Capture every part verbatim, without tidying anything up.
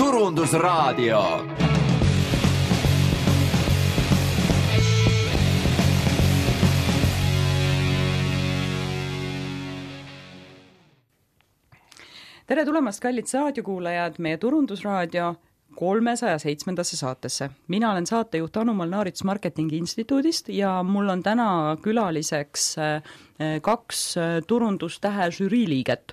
Turundusraadio. Tere tulemast, kallid saadiokuulajad, meie Turundusraadio kolmesaja seitsmendasse saatesse. Mina olen saatejuht Anu Molnaarits Marketingi Instituudist ja mul on täna külaliseks kaks turundustähe žüriiliiget.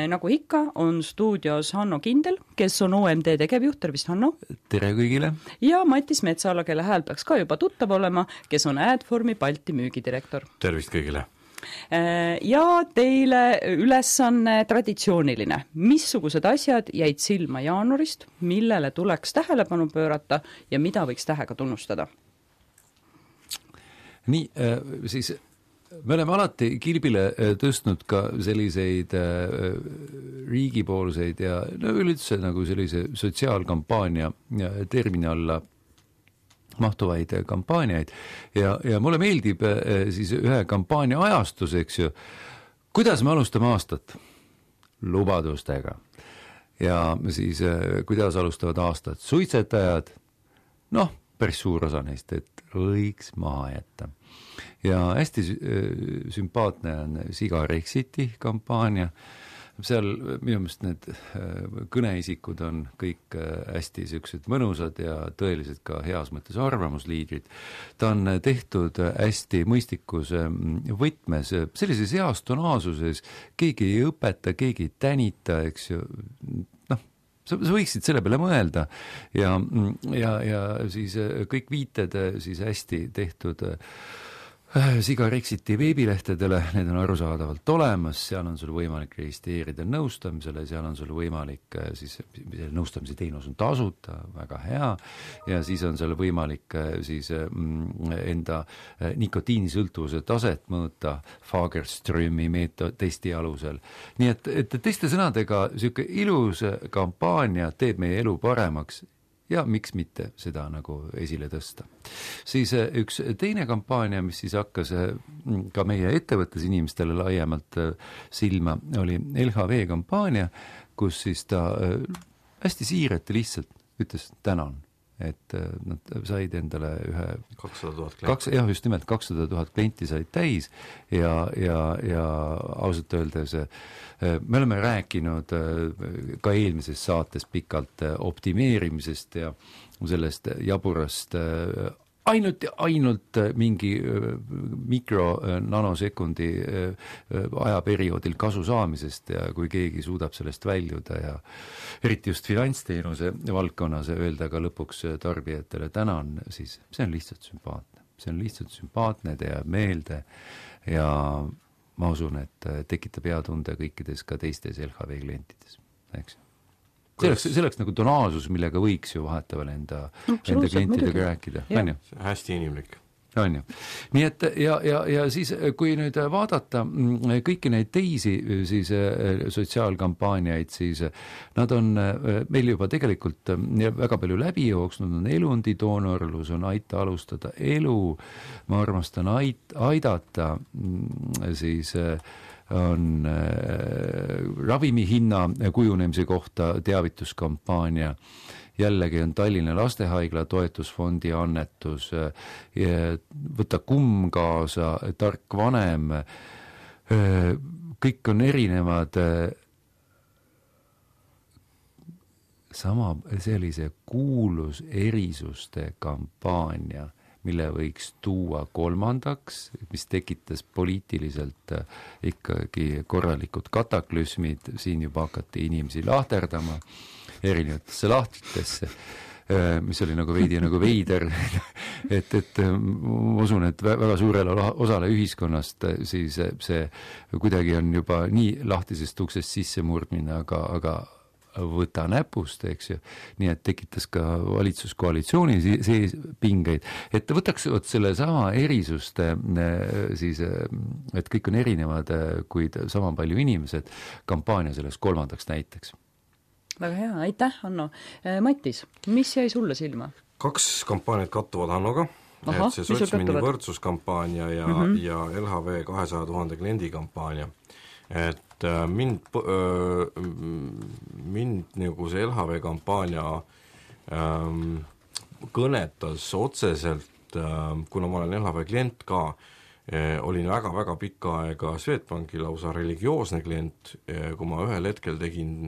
Nagu ikka on stuudios Hanno Kindel, kes on O M D tegevjuht. Tervist, Hanno! Tere kõigile! Ja Matis Metsala, kelle hääl peaks ka juba tuttav olema, kes on Adformi Balti müügidirektor. Tervist kõigile! Ja teile ülesanne traditsiooniline. Missugused asjad jäid silma jaanuarist, millele tuleks tähelepanu pöörata ja mida võiks tähega tunnustada? Nii, siis me oleme alati kilbile tõstnud ka selliseid riigipoolseid ja no üldse nagu sellise sotsiaalkampaania termini alla mahtuvaid kampaaniaid ja, ja mulle meeldib siis ühe kampaania ajastus, eks ju, kuidas me alustame aastat? Lubadustega. Ja siis kuidas alustavad aastat? Suitsetajad, noh, päris suur osa neist, et võiks maha jätta. Ja hästi sümpaatne on Sigarexiti kampaania. Seal minu meelest need kõneisikud on kõik hästi sellised mõnusad ja tõeliselt ka heas mõttes arvamusliidrid. Ta on tehtud hästi mõistikus võtmes, sellises heas tonaasuses, keegi ei õpeta, keegi ei tänita, eks ju, noh, sa võiksid selle peale mõelda ja, ja, ja siis kõik viited siis hästi tehtud Sigarexiti veebilehtedele, need on arusaadavalt olemas, seal on sul võimalik registreerida nõustamisele, seal on sul võimalik, siis nõustamise teenus on tasuta, väga hea, ja siis on seal võimalik siis enda nikotiinisõltuvuse taset mõõta Fagerströmi meetod testi alusel. Nii et, et teiste sõnadega selline ilus kampaania teeb meie elu paremaks, ja miks mitte seda nagu esile tõsta. Siis üks teine kampaania, mis siis hakkas ka meie ettevõttes inimestele laiemalt silma, oli L H V kampaania, kus siis ta hästi siirati lihtsalt ütles tänan, et nad said endale ühe kakssada tuhat klienti. Kaks, jah, just nimelt kakssada tuhat klienti said täis ja, ja, ja ausalt öeldes me oleme rääkinud ka eelmises saates pikalt optimeerimisest ja sellest jaburast ainult ja ainult mingi mikro nanosekundi ajaperioodil kasu saamisest ja kui keegi suudab sellest väljuda ja eriti just finantsteenuse valdkonnas öelda ka lõpuks tarbijatele tänan, siis see on lihtsalt sümpaatne. See on lihtsalt sümpaatne, te jääb meelde ja ma usun, et tekitab hea tunde kõikides ka teistes L H V klientides, eks. See oleks, see oleks nagu tonaalsus, millega võiks ju vahetavale enda, enda klientidega rääkida. Ja. Hästi inimlik. On ju. Nii et ja, ja, ja siis kui nüüd vaadata kõiki neid teisi siis sotsiaalkampaaniaid, siis nad on meil juba tegelikult väga palju läbi jooksnud, on elundidoonorlus, on aita alustada elu, ma armastan ait, aidata, siis on ravimihinna kujunemise kohta teavituskampaania, jällegi on Tallinna Lastehaigla toetusfondi annetus, võta kumm kaasa, tark vanem, kõik on erinevad sama sellise kuulus erisuste kampaania, mille võiks tuua kolmandaks, mis tekitas poliitiliselt ikkagi korralikud kataklüsmid, siin juba hakati inimesi lahterdama erinevatesse lahtritesse, mis oli nagu veidi nagu veider, et, et ma usun, et väga suurele osale ühiskonnast siis see kuidagi on juba nii lahtisest uksest sisse murdmine, aga, aga võta näpust, eks ju, nii et tekitas ka valitsuskoalitsiooni sees pingeid, et võtaks selle sama erisuste siis, et kõik on erinevad, kuid sama palju inimesed, kampaania sellest kolmandaks näiteks. Väga hea, aitäh, Hanno. Matis, mis jäi sulle silma? Kaks kampaaniat kattuvad Hannoga, Aha, et see sotsmini võrdsuskampaania ja, mm-hmm. ja L H V kahesaja tuhande kliendi kampaania. Et et mind, mind nagu see L H V kampaania ähm, kõnetas otseselt, ähm, kuna ma olen L H V klient ka, äh, olin väga-väga pikka aega Swedbanki lausa religioosne klient, kui ma ühel hetkel tegin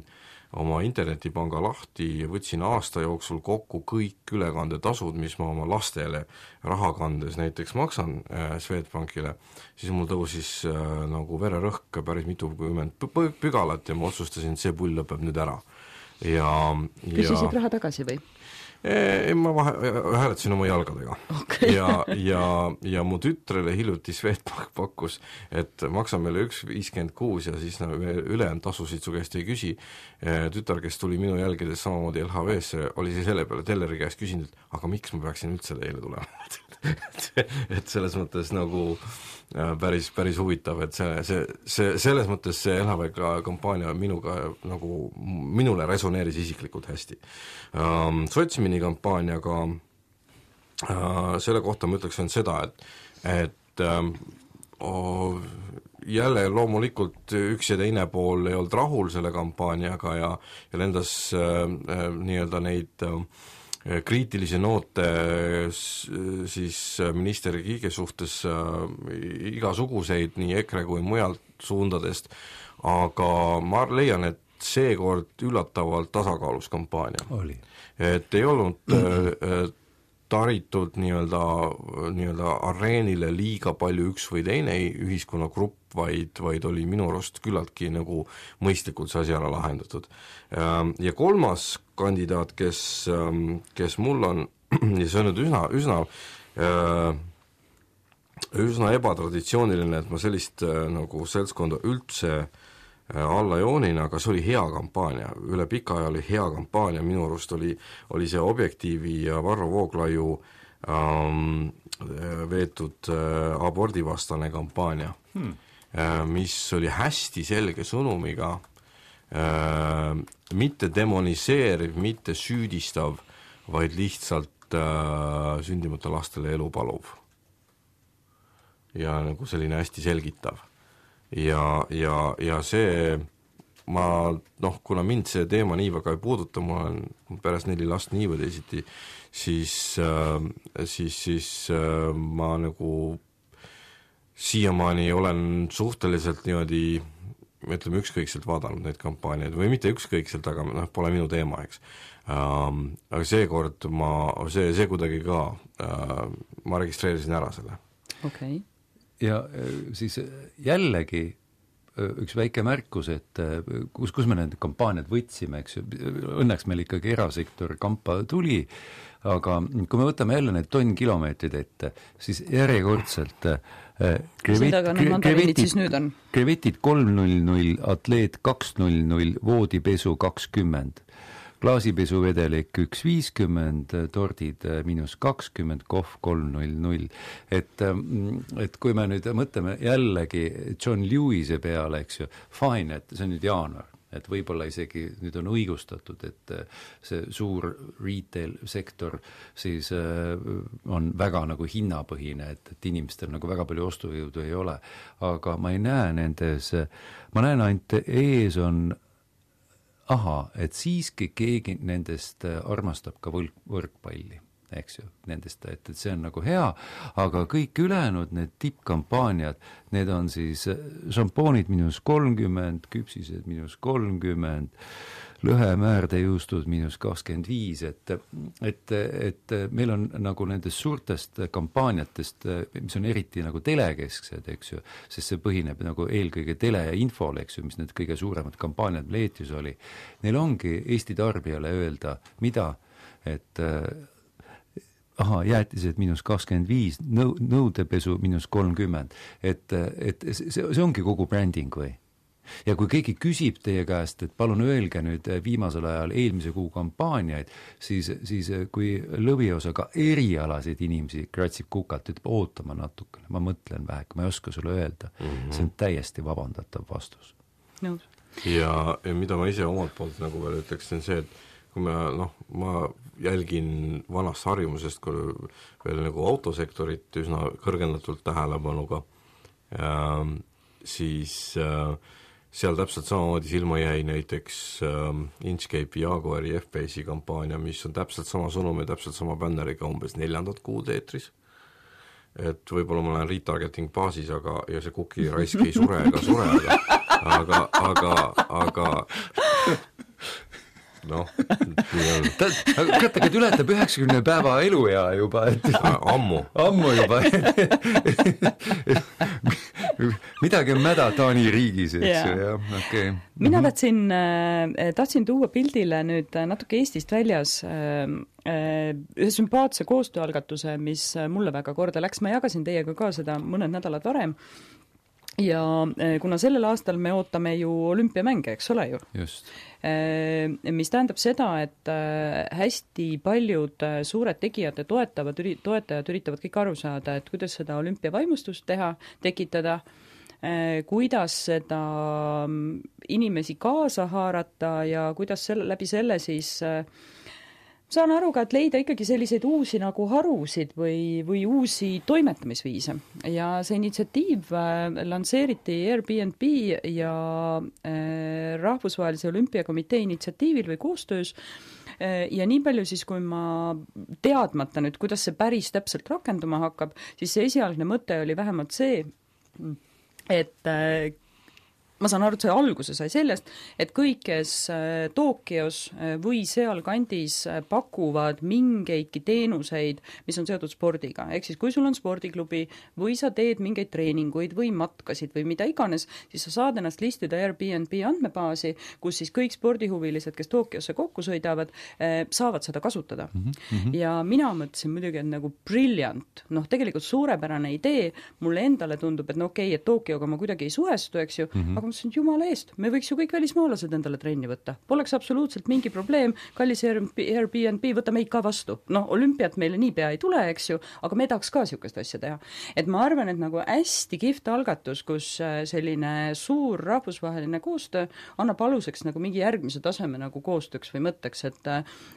oma internetipanga lahti ja võtsin aasta jooksul kokku kõik ülekandetasud, mis ma oma lastele raha kandes näiteks maksan äh, Swedbankile, siis mul tõusis äh, nagu vererõhk päris mitukümmend pügalat ja ma otsustasin, et see pull lõpeb nüüd ära. Ja, küsisid ja... raha tagasi või? E, ma vahe, hääletasin oma jalgadega okay. ja, ja, ja mu tütrele hiljuti Swedbank pakkus, et maksa meile üks viiskümmend kuus ja siis no, ülejäänud tasusid su käest ei küsi. Tütar, kes tuli minu jälgides samamoodi L H V-sse, oli see selle peale telleri käest küsinud, et aga miks ma peaksin üldse teile tulema? et selles mõttes nagu päris, päris huvitav, et see, see, see, selles mõttes see L H V kampaania minuga nagu, minule resoneeris isiklikult hästi. Um, Sotsmini kampaaniaga uh, selle kohta ma ütleks on seda, et, et um, oh, jälle loomulikult üks ja teine pool ei olnud rahul selle kampaaniaga ja, ja lendas uh, uh, nii-öelda neid uh, kriitilisi noote siis minister Kiige suhtes igasuguseid nii EKRE kui mujalt suundadest, aga ma leian, et seekord üllatavalt tasakaalus kampaania. Oli. Et ei olnud taritud nii-öelda, nii-öelda areenile liiga palju üks või teine ühiskonnagrupp, vaid, vaid oli minu arust küllaltki nagu mõistlikult see asi ära lahendatud. Ja kolmas kandidaat, kes, kes mul on, ja see on nüüd üsna, üsna, üsna ebatraditsiooniline, et ma sellist nagu seltskonda üldse alla joonin, aga see oli hea kampaania, üle pika aja oli hea kampaania, minu arust oli, oli see Objektiivi ja Varro Vooglaiu ähm, veetud äh, abordivastane kampaania hmm. äh, mis oli hästi selge sõnumiga, äh, mitte demoniseeriv, mitte süüdistav, vaid lihtsalt äh, sündimata lastele elu paluv. Ja nagu selline hästi selgitav. Ja, ja, ja see, ma, noh, kuna mind see teema nii väga ei puuduta, ma olen pärast neli last nii või teisiti, siis, äh, siis, siis äh, ma nagu siiamaani olen suhteliselt niimoodi, ütleme, ükskõikselt vaadanud neid kampaaniaid, või mitte ükskõikselt, aga noh, pole minu teema, eks. Ähm, aga seekord ma, see, see kuidagi ka, äh, ma registreerisin ära selle. Okei. Okay. Ja siis jällegi üks väike märkus, et kus, kus me need kampaaniad võtsime, eks ju, õnneks meil ikkagi erasektor kampa tuli, aga kui me võtame jälle need tonn kilomeetrid ette, siis järjekordselt krevetid, krevetid kolm null null, atleet kaks null null, voodipesu kakskümmend, klaasipesuvedelik üks viiskümmend, tordid miinus kakskümmend, kohv kolm null null. Et, et kui me nüüd mõtleme jällegi John Lewise peale, eks ju, fine, et see on nüüd jaanuar, et võib-olla isegi nüüd on õigustatud, et see suur retail-sektor siis on väga nagu hinnapõhine, et, et inimestel nagu väga palju ostujõudu ei ole. Aga ma ei näe nendes, ma näen ainult ees on aha, et siiski keegi nendest armastab ka võlg, võrkpalli, eks ju, nendest, et, et see on nagu hea, aga kõik ülejäänud need tippkampaaniad, need on siis šampoonid miinus kolmkümmend, küpsised miinus kolmkümmend, lõhemäärdejuustud miinus kakskümmend viis, et, et, et meil on nagu nendest suurtest kampaaniatest, mis on eriti nagu telekesksed, eks ju, sest see põhineb nagu eelkõige tele ja infol, eks ju, mis need kõige suuremad kampaaniad leetis oli. Neil ongi Eesti tarbijale öelda, mida, et aha, jäätised miinus kakskümmend viis, nõu, nõudepesu miinus kolmkümmend, et, et see, see ongi kogu bränding või? Ja kui keegi küsib teie käest, et palun öelge nüüd viimasel ajal eelmise kuu kampaaniaid, siis, siis kui lõviosaga erialasid inimesi kratsib kukalt, ütleb ootama natukene, ma mõtlen väheke, ma ei oska sulle öelda. Mm-hmm. See on täiesti vabandatav vastus. No. Ja, ja mida ma ise omalt poolt nagu veel ütleks, on see, et kui ma, noh, ma jälgin vanast harjumusest kui veel nagu autosektorit üsna kõrgendatult tähelepanuga, äh, siis äh, seal täpselt samamoodi silma jäi näiteks ähm, Inchcape'i Jaguari F-Base'i kampaania, mis on täpselt sama sõnum ja täpselt sama bänneriga umbes neljandat kuud eetris. Et võib-olla ma olen retargeting baasis, aga ja see kuki raisk ei sure ega sure, aga, aga, aga noh, nii on. Kuratagi, et ületab üheksakümne päeva eluea juba, et ammu. Ammu juba. Midagi on mäda Taani riigis, eks ju, jah, okei. Okay. Mina tahtsin, tahtsin tuua pildile nüüd natuke Eestist väljas ühe sümpaatse koostööalgatuse, mis mulle väga korda läks. Ma jagasin teiega ka seda mõned nädalad varem. Ja kuna sellel aastal me ootame ju olümpiamänge, eks ole ju? Just. Mis tähendab seda, et hästi paljud suured tegijad ja toetavad, toetajad üritavad kõik aru saada, et kuidas seda olümpiavaimustust teha, tekitada, kuidas seda inimesi kaasa haarata ja kuidas selle, läbi selle siis saan aru ka, et leida ikkagi selliseid uusi nagu harusid või, või uusi toimetamisviise. Ja see initsiatiiv lansseeriti Airbnb ja Rahvusvahelise Olümpiakomitee initsiatiivil või koostöös. Ja nii palju siis, kui ma teadmata nüüd, kuidas see päris täpselt rakenduma hakkab, siis see esialgne mõte oli vähemalt see, et ma saan aru, et see alguse sai sellest, et kõik, kes Tokyos või seal kandis pakuvad mingeidki teenuseid, mis on seotud spordiga. Ehk siis, kui sul on spordiklubi või sa teed mingeid treeninguid või matkasid või mida iganes, siis sa saad ennast listida Airbnb andmebaasi, kus siis kõik spordihuvilised, kes Tokyosse kokku sõidavad, saavad seda kasutada. Mm-hmm. Ja mina mõtlesin muidugi, et nagu brilliant, noh, tegelikult suurepärane idee, mulle endale tundub, et no okei, okay, et Tokyoga ma kuidagi ei suhestu, eks ju, mm-hmm. aga mõtlesin, et jumala eest, me võiks ju kõik välismaalased endale trenni võtta. Poleks absoluutselt mingi probleem, kallis Airbnb, võta meid ka vastu. No, olümpiat meile nii pea ei tule, eks ju, aga me tahaks ka sihukest asja teha. Et ma arvan, et nagu hästi kihvt algatus, kus selline suur rahvusvaheline koostöö annab aluseks nagu mingi järgmise taseme nagu koostööks või mõtteks, et,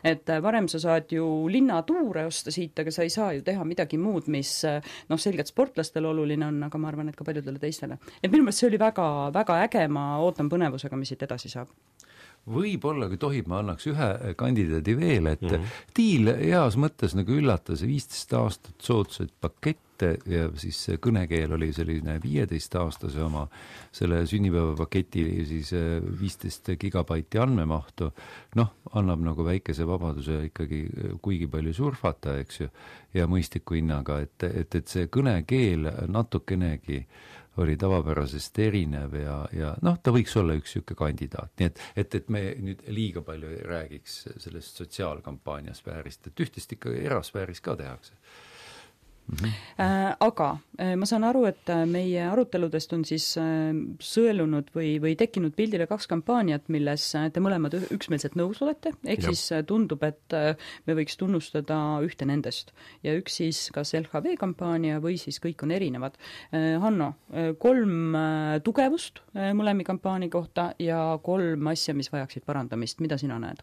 et varem sa saad ju linnatuure osta siit, aga sa ei saa ju teha midagi muud, mis noh, selgelt sportlastel oluline on, aga ma arvan, et ka paljudele teistele. Et minu meelest see oli väga, väga äge, ma ootan põnevusega, mis siit edasi saab. Võib-olla, kui tohib, ma annaks ühe kandidaadi veel, et mm-hmm. Tiil heas mõttes nagu üllatas viisteist aastat soodsaid pakette ja siis kõnekeel oli selline viieteist aastase oma selle sünnipäevapaketi siis viisteist gigabaiti andmemahtu, noh, annab nagu väikese vabaduse ikkagi kuigi palju surfata, eks ju, ja mõistliku hinnaga, et, et, et see kõnekeel natukenegi oli tavapärasest erinev ja, ja noh, ta võiks olla üks siuke kandidaat. Nii et, et, et me nüüd liiga palju ei räägiks sellest sotsiaalkampaania sfäärist, et ühtest ikka erasfääris ka tehakse. Mm-hmm. Äh, aga äh, ma saan aru, et meie aruteludest on siis äh, sõelunud või, või tekkinud pildile kaks kampaaniat, milles te mõlemad üksmeelselt nõus olete, ehk ja. Siis tundub, et äh, me võiks tunnustada ühte nendest. Ja üks siis kas L H V kampaania või siis kõik on erinevad. Äh, Hanno, äh, kolm äh, tugevust äh, mõlemi kampaania kohta ja kolm asja, mis vajaksid parandamist. Mida sina näed?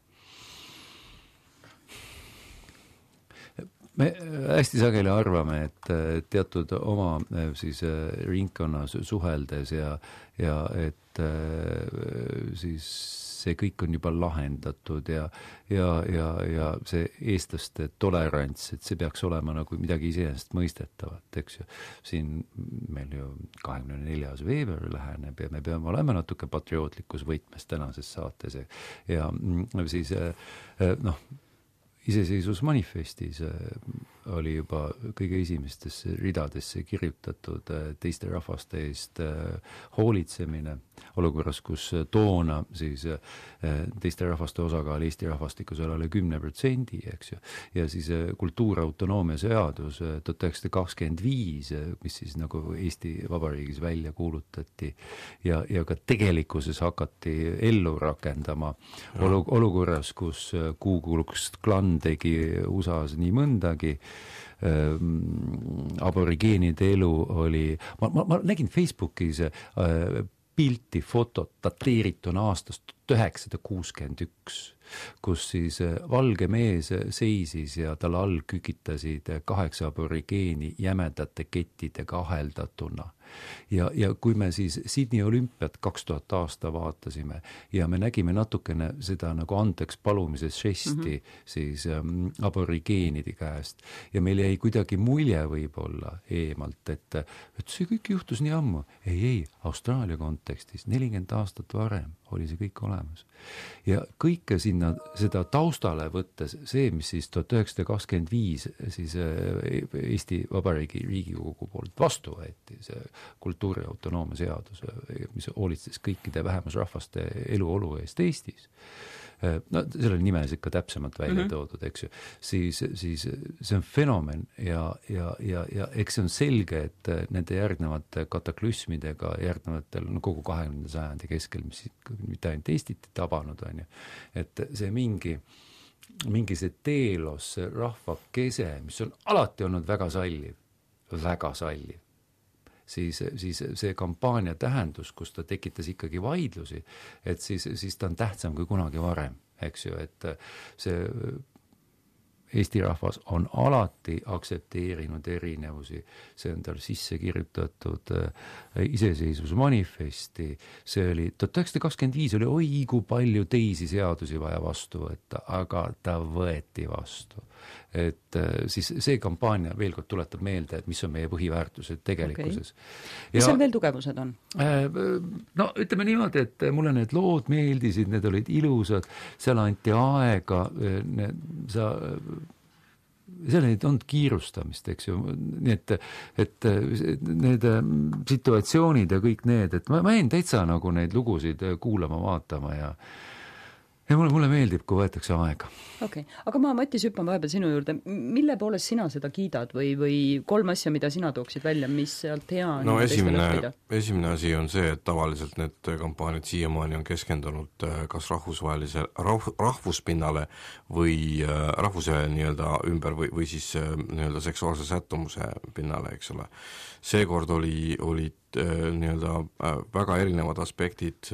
Me hästi sageli arvame, et teatud oma siis ringkonnas suheldes ja, ja et siis see kõik on juba lahendatud ja, ja, ja, ja see eestlaste tolerants, et see peaks olema nagu midagi iseenesest mõistetavat, eks ju. Siin meil ju kahekümne neljas veebruar läheneb ja me peame olema natuke patriootlikus võtmes tänases saates ja, ja siis noh, iseseisvusmanifestis oli juba kõige esimestesse ridadesse kirjutatud teiste rahvaste eest hoolitsemine olukorras, kus toona siis teiste rahvaste osakaal Eesti rahvastikus oli üle kümne protsendi, eks ju, ja siis kultuurautonoomia seadus tuhat üheksasada kakskümmend viis, mis siis nagu Eesti Vabariigis välja kuulutati ja, ja ka tegelikkuses hakati ellu rakendama olu, olukorras, kus Ku Klux Klan tegi U S A-s nii mõndagi, aborigeenide elu oli, ma, ma, ma nägin Facebookis pilti, fotot dateerituna aastast tuhat üheksasada kuuskümmend üks kus siis valge mees seisis ja tal all kükitasid kaheksa aborigeeni jämedate kettidega aheldatuna. Ja, ja kui me siis Sydney olümpiat kaks tuhat aasta vaatasime ja me nägime natukene seda nagu andeks palumise žesti mm-hmm. siis ähm, aborigeenide käest ja meil jäi kuidagi mulje võib-olla eemalt, et, et see kõik juhtus nii ammu. Ei, ei, Austraalia kontekstis nelikümmend aastat varem oli see kõik olemas. Ja kõike sinna seda taustale võttes, see, mis siis tuhat üheksasada kakskümmend viis siis Eesti Vabariigi Riigikogu poolt vastu võeti, see kultuuri autonoomia seadus, mis hoolitses kõikide vähemusrahvaste eluolu eest Eestis. No selle nimes ikka täpsemalt välja mm-hmm. toodud, eks ju, siis, siis see on fenomen ja, ja, ja, ja eks see on selge, et nende järgnevate kataklüsmidega järgnevatel no, kogu kahekümnenda sajandi keskel, mis mitte ainult Eestit tabanud on ju, et see mingi, mingi see teelos, see rahvakese, mis on alati olnud väga salliv, väga salliv. Siis, siis see kampaania tähendus, kus ta tekitas ikkagi vaidlusi, et siis, siis ta on tähtsam kui kunagi varem, eks ju, et see Eesti rahvas on alati aktsepteerinud erinevusi, see on tal sisse kirjutatud iseseisvusmanifesti, see oli, tuhat üheksasada kakskümmend viis oli oi kui palju teisi seadusi vaja vastu võtta, aga ta võeti vastu. Et siis see kampaania veel kord tuletab meelde, et mis on meie põhiväärtused tegelikkuses. Okay. Mis seal veel tugevused on? No ütleme niimoodi, et mulle need lood meeldisid, need olid ilusad, seal anti aega, need, sa, seal ei olnud kiirustamist, eks ju, nii et, et need situatsioonid ja kõik need, et ma, ma jäin täitsa nagu neid lugusid kuulama, vaatama ja ja mulle, mulle meeldib, kui võetakse aega. Okei, okay. Aga ma Matis hüppan vahepeal sinu juurde. Mille poolest sina seda kiidad või, või kolm asja, mida sina tooksid välja, mis sealt hea no esimene, esimene asi on see, et tavaliselt need kampaaniad siiamaani on keskendunud kas rahvusvahelise rah, rahvuspinnale või rahvuse nii-öelda ümber või, või siis nii-öelda seksuaalse sättumuse pinnale, eks ole. Seekord oli, olid nii-öelda väga erinevad aspektid,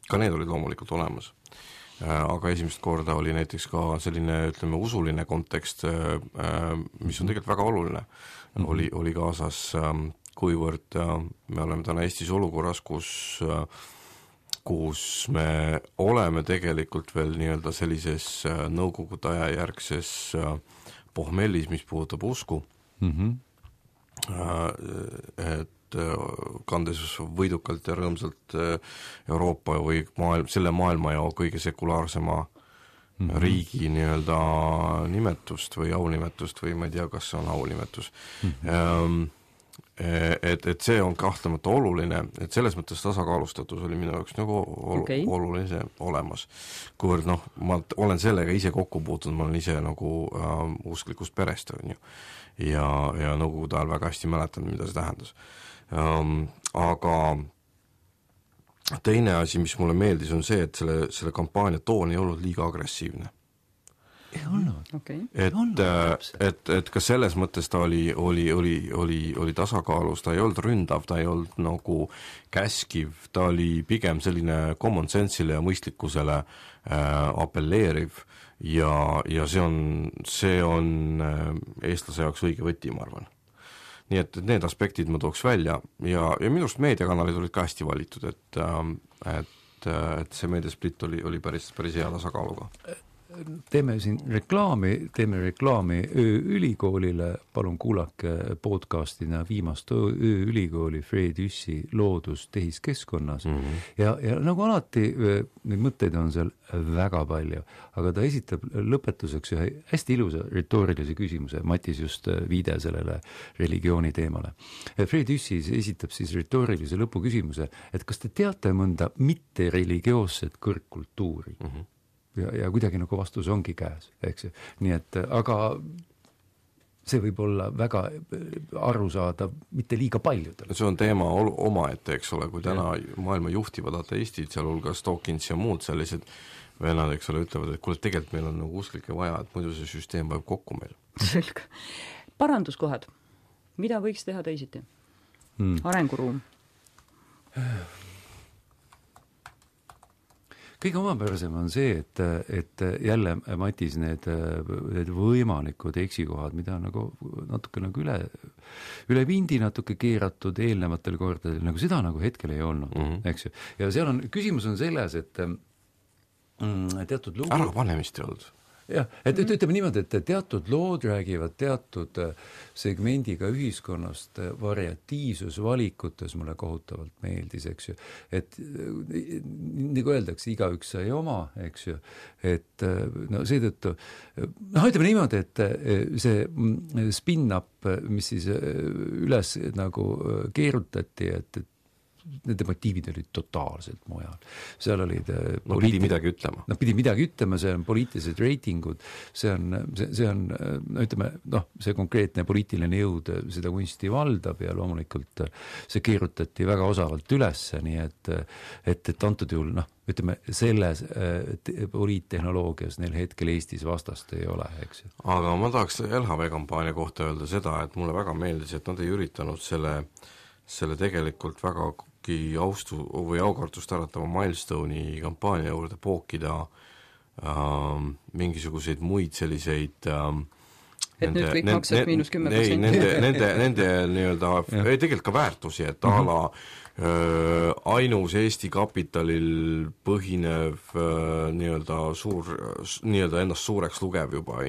ka need olid loomulikult olemas. Aga esimest korda oli näiteks ka selline, ütleme, usuline kontekst, mis on tegelikult väga oluline, mm-hmm. oli, oli kaasas, kuivõrd me oleme täna Eestis olukorras, kus, kus me oleme tegelikult veel nii-öelda sellises nõukogude aja järgses pohmellis, mis puudutab usku, mm-hmm. et kandes võidukalt ja rõõmsalt Euroopa või maailm, selle maailma ja kõige sekulaarsema mm-hmm. riigi nii-öelda nimetust või aunimetust või ma ei tea, kas see on aunimetus. Mm-hmm. Et, et see on kahtlemata oluline, et selles mõttes tasakaalustatus oli minu jaoks nagu ol, okay. oluline olemas. Kuivõrd noh, ma olen sellega ise kokku puutunud, ma olen ise nagu äh, usklikust perest on ju. Ja, ja nõukogude ajal väga hästi mäletan, mida see tähendas. Um, aga teine asi, mis mulle meeldis, on see, et selle, selle kampaania toon ei olnud liiga agressiivne. Ei olnud. Okay. Et, olnud, et, et ka selles mõttes ta oli, oli, oli, oli, oli tasakaalus, ta ei olnud ründav, ta ei olnud nagu käskiv, ta oli pigem selline common sense'ile ja mõistlikkusele äh, appelleeriv ja, ja see on, see on äh, eestlase jaoks õige võti, ma arvan. Nii et need aspektid ma tooks välja ja, ja minust meediakanalid olid ka hästi valitud, et, et, et see meediasplit oli, oli päris, päris hea tasakaaluga. Teeme siin reklaami, teeme reklaami Ööülikoolile, palun kuulake podcastina viimast Ööülikooli Fred Jüssi loodus tehiskeskkonnas mm-hmm. ja, ja nagu alati neid mõtteid on seal väga palju, aga ta esitab lõpetuseks ühe hästi ilusa retoorilise küsimuse, Matis just viide sellele religiooni teemale. Fred Jüssi esitab siis retoorilise lõpuküsimuse, et kas te teate mõnda mitte religioosset kõrgkultuuri? Mm-hmm. Ja, ja kuidagi nagu vastus ongi käes, eks ju. Nii et, aga see võib olla väga aru saada mitte liiga paljudel. See on teema oma ette, eks ole, kui täna maailma juhtivad ateistid, sealhulgas Dawkins ja muud sellised vennad, eks ole, ütlevad, et kuule, tegelikult meil on nagu usklike vaja, et muidu see süsteem vajab kokku meil. Selge. Paranduskohad. Mida võiks teha teisiti? Hmm. Arenguruum. kõige omapärasem on see, et, et jälle Matis need, need võimalikud eksikohad, mida on nagu natuke nagu üle, üle vindi natuke keeratud eelnevatel kordadel, nagu seda nagu hetkel ei olnud, mm -hmm. eks ju. Ja seal on, küsimus on selles, et mm, teatud lugu... Ära panemist ei olnud. Jah, et ütleme niimoodi, et teatud lood räägivad teatud segmendiga ühiskonnast, variatiivsus valikutes mulle kohutavalt meeldis, eks ju, et nagu öeldakse, igaüks sai oma, eks ju, et no seetõttu, noh, ütleme niimoodi, et see spin-up, mis siis üles nagu keerutati, et, et nende motiivid olid totaalselt mujal. Seal olid no pidi midagi ütlema. No pidi midagi ütlema, see on poliitilised reitingud, see on, see, see on no ütleme, noh, see konkreetne poliitiline jõud seda kunsti valdab ja loomulikult see keerutati väga osavalt ülesse, nii et, et, et antud juhul, noh, ütleme, selles poliittehnoloogias neil hetkel Eestis vastast ei ole, eks ju. Aga ma tahaks L H V kampaania kohta öelda seda, et mulle väga meeldis, et nad ei üritanud selle, selle tegelikult väga austu või aukartust äratava Milestone'i kampaania juurde pookida äh, mingisuguseid muid selliseid äh, et nende, nüüd kõik nende, maksab miinus kümme protsenti. Nende, nende, nende nii-öelda, ei tegelikult ka väärtusi, et mm -hmm. ala äh, ainus Eesti kapitalil põhinev äh, nii-öelda suur, nii-öelda ennast suureks lugev juba,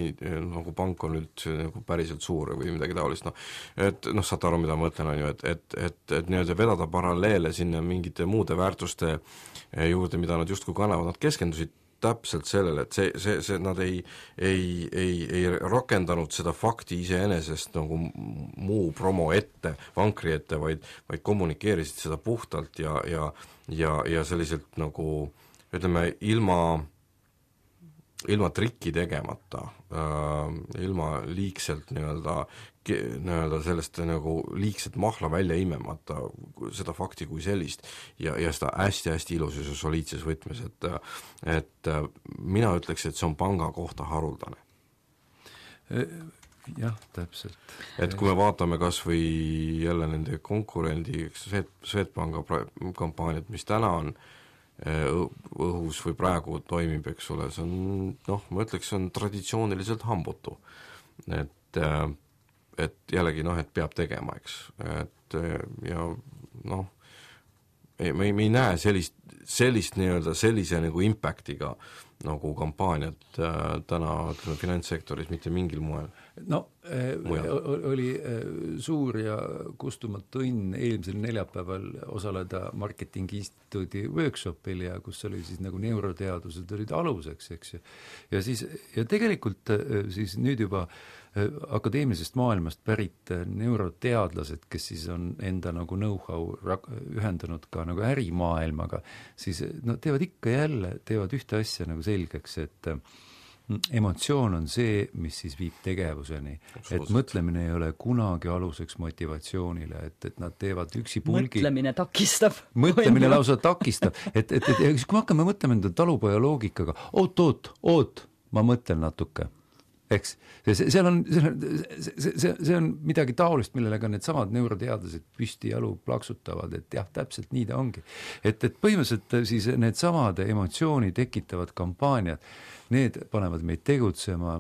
nagu pank on nüüd nagu päriselt suur või midagi taolist, noh, et noh, saate aru, mida ma mõtlen, on ju, et, et, et, et nii-öelda vedada paralleele sinna mingite muude väärtuste juurde, mida nad justkui kannavad, nad keskendusid täpselt sellele, et see, see, see, nad ei, ei, ei, ei rakendanud seda fakti iseenesest nagu muu promo ette, vankri ette, vaid, vaid kommunikeerisid seda puhtalt ja, ja, ja, ja selliselt nagu ütleme, ilma ilma trikki tegemata äh,, ilma liigselt nii-öelda, nii-öelda sellest nagu liigselt mahla välja imemata seda fakti kui sellist ja, ja seda hästi-hästi ilusus ja soliidses võtmes, et et mina ütleks, et see on panga kohta haruldane. Jah, täpselt. Et kui me vaatame kas või jälle nende konkurendi Swedbanka kampaaniat, mis täna on õhus või praegu toimib, eks ole, see on, noh, ma ütleks, see on traditsiooniliselt hambutu. Et, et jällegi, noh, et peab tegema, eks. Et ja noh, me ei, me ei näe sellist, sellist nii-öelda sellise nagu impactiga nagu kampaaniat äh, täna, ütleme, finantssektoris mitte mingil moel. No, äh, oli äh, suur ja kustumatu õnn eelmisel neljapäeval osaleda Marketingi Instituudi workshopil ja kus oli siis nagu neuroteadused olid aluseks, eks ju. Ja siis, ja tegelikult äh, siis nüüd juba äh, akadeemilisest maailmast pärit äh, neuroteadlased, kes siis on enda nagu know-how rak- ühendanud ka nagu ärimaailmaga, siis no teevad ikka jälle, teevad ühte asja nagu selgeks, et emotsioon on see, mis siis viib tegevuseni. Et mõtlemine ei ole kunagi aluseks motivatsioonile, et, et nad teevad üksi pulgi. Mõtlemine takistab. Mõtlemine lausa takistab. Et, et, et, et kui me hakkame mõtlema enda talupoja loogikaga, oot, oot, oot, ma mõtlen natuke. Eks, see, seal on, see, see, see on midagi taolist, millele ka need samad neuroteadlased püsti jalu plaksutavad, et jah, täpselt nii ta ongi. Et, et põhimõtteliselt siis need samad emotsiooni tekitavad kampaaniad, need panevad meid tegutsema,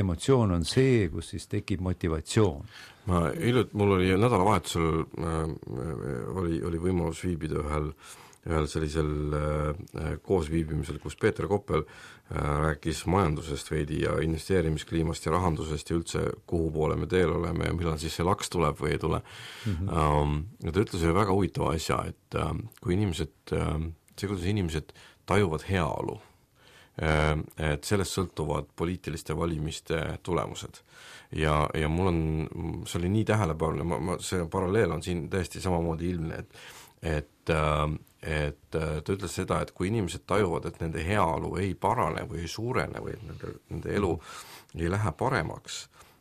emotsioon on see, kus siis tekib motivatsioon. Ma ilut, mul oli nädalavahetusel äh, oli, oli võimalus viibida ühel ühel sellisel äh, koosviibimisel, kus Peeter Koppel äh, rääkis majandusest veidi ja investeerimiskliimast ja rahandusest ja üldse kuhu poole me teel oleme ja millal siis see laks tuleb või ei tule. Mm-hmm. Um, ja ta ütles ühe väga huvitava asja, et uh, kui inimesed, uh, see kuidas inimesed tajuvad heaolu, uh, et sellest sõltuvad poliitiliste valimiste tulemused. Ja, ja mul on, see oli nii tähelepanev, ma, ma, see paralleel on siin täiesti samamoodi ilmne, et et, et ta ütles seda, et kui inimesed tajuvad, et nende heaolu ei parane või ei suurene või nende, nende elu ei lähe paremaks,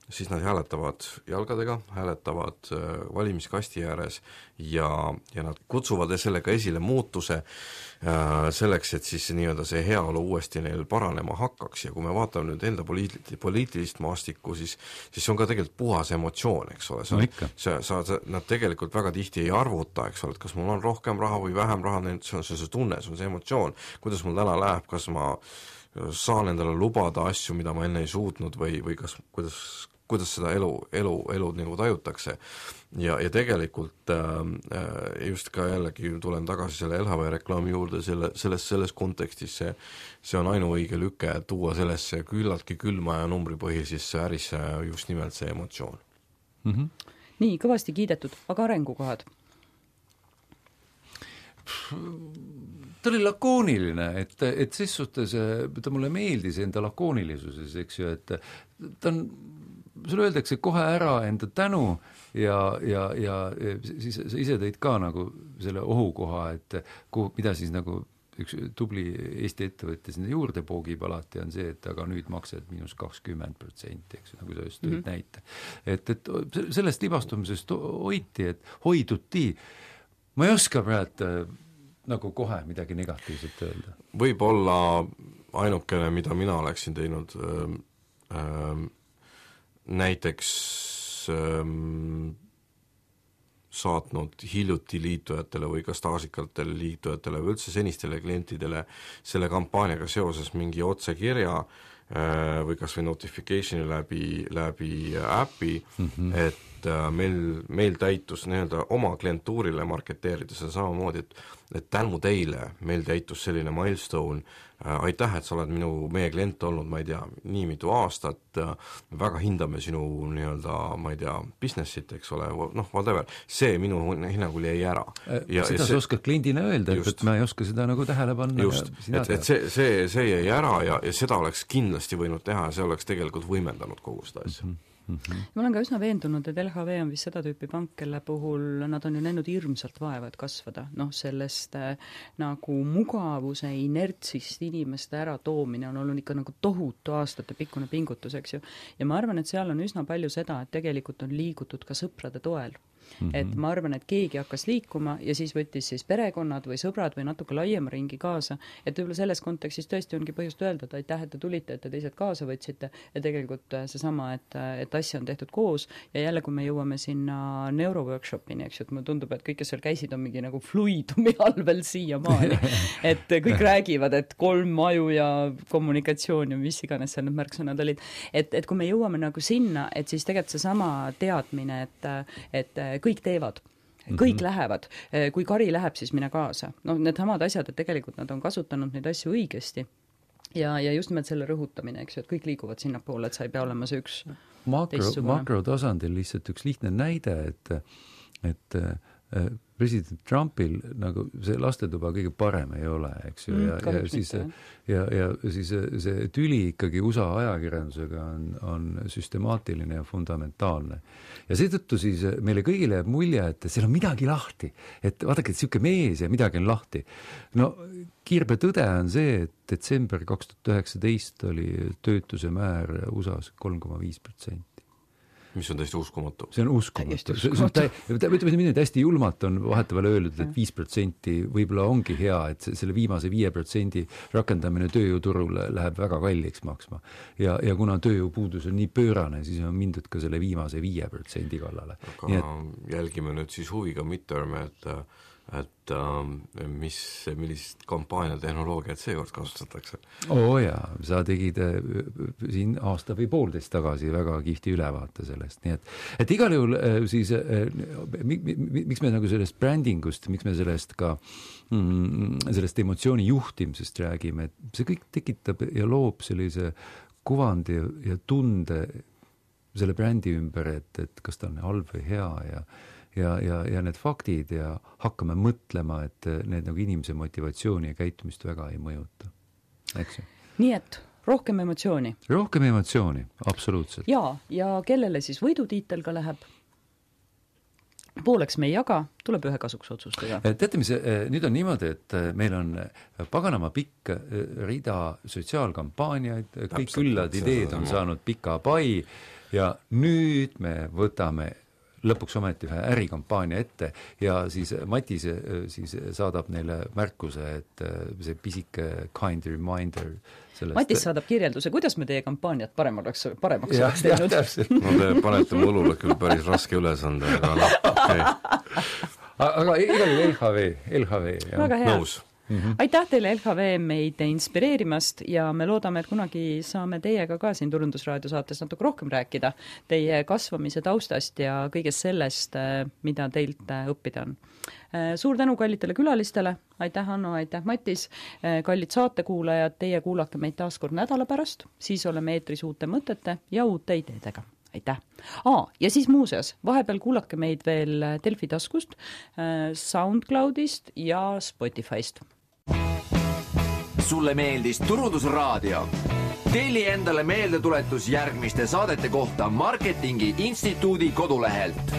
siis nad hääletavad jalgadega, hääletavad valimiskasti ääres ja, ja nad kutsuvad sellega esile muutuse äh, selleks, et siis nii-öelda see heaolu uuesti neil paranema hakkaks ja kui me vaatame nüüd enda poliit-, poliitilist maastikku, siis siis see on ka tegelikult puhas emotsioon, eks ole, see on, no see, sa, nad tegelikult väga tihti ei arvuta, eks ole, et kas mul on rohkem raha või vähem raha, see on see, see tunne, see on see emotsioon, kuidas mul täna läheb, kas ma saan endale lubada asju, mida ma enne ei suutnud või, või kas, kuidas kuidas seda elu, elu, elu nagu tajutakse. Ja, ja tegelikult äh, just ka jällegi tulen tagasi selle L H V reklaami juurde, selle, selles, selles kontekstis see, see on ainuõige lüke tuua sellesse küllaltki külma ja numbripõhisesse ärisse just nimelt see emotsioon. Mm-hmm. Nii, kõvasti kiidetud, aga arengukohad? Ta oli lakooniline, et, et ses suhtes ta mulle meeldis enda lakoonilisuses, eks ju, et ta on sulle öeldakse kohe ära enda tänu ja, ja, ja siis sa ise tõid ka nagu selle ohukoha, et kuhu, mida siis nagu üks tubli Eesti ettevõtte sinna juurde poogib alati on see, et aga nüüd maksad miinus kakskümmend protsenti, eks nagu sa just tõid mm-hmm. näite. Et, et sellest libastumisest hoiti, et hoiduti. Ma ei oska praegu nagu kohe midagi negatiivset öelda. Võib-olla ainukene, mida mina oleksin teinud ähm, ähm, näiteks ähm, saatnud hiljuti liitujatele või ka staažikatele liitujatele või üldse senistele klientidele selle kampaaniaga seoses mingi otsekirja äh, või kas või notificationi läbi, läbi äpi, mm-hmm. et äh, meil, meil täitus nii-öelda oma klientuurile marketeerides on samamoodi, et, et tänu teile meil täitus selline milestone, aitäh, et sa oled minu, meie klient olnud, ma ei tea, nii mitu aastat, väga hindame sinu nii-öelda, ma ei tea, businessit, eks ole, noh, whatever, see minu hinnangul jäi ära. Ja, seda ja sa oskad kliendina öelda, just, et ma ei oska seda nagu tähele panna. Just, et, et see, see, see jäi ära ja, ja seda oleks kindlasti võinud teha, see oleks tegelikult võimendanud kogu seda asja. Mm-hmm. Mm-hmm. Ma olen ka üsna veendunud, et L H V on vist seda tüüpi pank, kelle puhul nad on ju näinud hirmsalt vaeva, et kasvada. Noh, sellest äh, nagu mugavuse inertsist inimeste ära toomine on olnud ikka nagu tohutu aastate pikkune pingutus, eks ju. Ja ma arvan, et seal on üsna palju seda, et tegelikult on liigutud ka sõprade toel. Mm-hmm. Et ma arvan, et keegi hakkas liikuma ja siis võttis siis perekonnad või sõbrad või natuke laiema ringi kaasa, et võib-olla selles kontekstis tõesti ongi põhjust öelda, et aitäh, et te tulite, et te teised kaasa võtsite ja tegelikult seesama, et, et asja on tehtud koos ja jälle, kui me jõuame sinna neuroworkshopini, eks ju, et mulle tundub, et kõik, kes seal käisid, on mingi nagu fluidumi all veel siiamaani, et kõik räägivad, et kolm aju ja kommunikatsioon ja mis iganes seal need märksõnad olid, et, et kui me jõuame nagu sinna, et siis tegelikult seesama teadmine, et, et kõik teevad, kõik mm-hmm. lähevad, kui kari läheb, siis mine kaasa. No need samad asjad, et tegelikult nad on kasutanud neid asju õigesti ja, ja just nimelt selle rõhutamine, eks ju, et kõik liiguvad sinnapoole, et sa ei pea olema see üks makro, makrotasandil lihtsalt üks lihtne näide, et, et president Trumpil nagu see lastetuba kõige parem ei ole, eks ju, ja, mm, ja siis ja, ja siis see tüli ikkagi U S A ajakirjandusega on, on süstemaatiline ja fundamentaalne. Ja seetõttu siis meile kõigile jääb mulje, et seal on midagi lahti, et vaadake, et siuke mees ja midagi on lahti. No kiirbe tõde on see, et detsember kaks tuhat üheksateist oli töötuse määr U S A-s kolm koma viis protsenti. Mis on täiesti uskumatu. See on uskumatu. See on tä- ütleme nii, et hästi julmalt on vahetavale öeldud, et viis protsenti võib-olla ongi hea, et selle viimase viie protsendi rakendamine tööjõuturul läheb väga kalliks maksma. Ja, ja kuna tööjõupuudus on nii pöörane, siis on mindud ka selle viimase viie protsendi kallale. Aga nii et jälgime nüüd siis huviga midterm, et et ähm, mis, millist kampaaniatehnoloogiat seekord kasutatakse? Oo jaa, sa tegid äh, siin aasta või poolteist tagasi väga kihti ülevaate sellest, nii et, et igal juhul äh, siis äh, mi, mi, miks me nagu sellest brändingust, miks me sellest ka mm, sellest emotsiooni juhtimisest räägime, et see kõik tekitab ja loob sellise kuvandi ja tunde selle brändi ümber, et, et kas ta on halb või hea ja Ja, ja, ja need faktid ja hakkame mõtlema, et need nagu inimese motivatsiooni ja käitumist väga ei mõjuta. Eks ju? Nii et rohkem emotsiooni. Rohkem emotsiooni, absoluutselt. Ja, ja kellele siis võidutiitel ka läheb? Pooleks me ei jaga, tuleb ühe kasuks otsustada. Teate, mis nüüd on niimoodi, et meil on paganama pikk rida sotsiaalkampaaniaid, kõik küllad ideed on saanud pika pai ja nüüd me võtame lõpuks ometi ühe ärikampaania ette ja siis Matis siis saadab neile märkuse, et see pisike kind reminder sellest. Matis saadab kirjelduse, kuidas me teie kampaaniat parem oleks, paremaks ja, oleks teinud. No te panete mu õlule küll päris raske ülesande, aga noh, okei okay.. Aga igal juhul L H V, L H V. Väga hea. Nõus. Mm-hmm. Aitäh teile L H V meid inspireerimast ja me loodame, et kunagi saame teiega ka siin Turundusraadio saates natuke rohkem rääkida teie kasvamise taustast ja kõigest sellest, mida teilt õppida on. Suur tänu kallitele külalistele, aitäh Hanno, aitäh Matis, kallid saatekuulajad, teie kuulake meid taas kord nädala pärast, siis oleme eetris uute mõtete ja uute ideedega. Aitäh. Aa, ja siis muuseas, vahepeal kuulake meid veel Delfi taskust, SoundCloudist ja Spotifyst. Sulle meeldis Turundusraadio? Telli endale meeldetuletus järgmiste saadete kohta Marketingi Instituudi kodulehelt.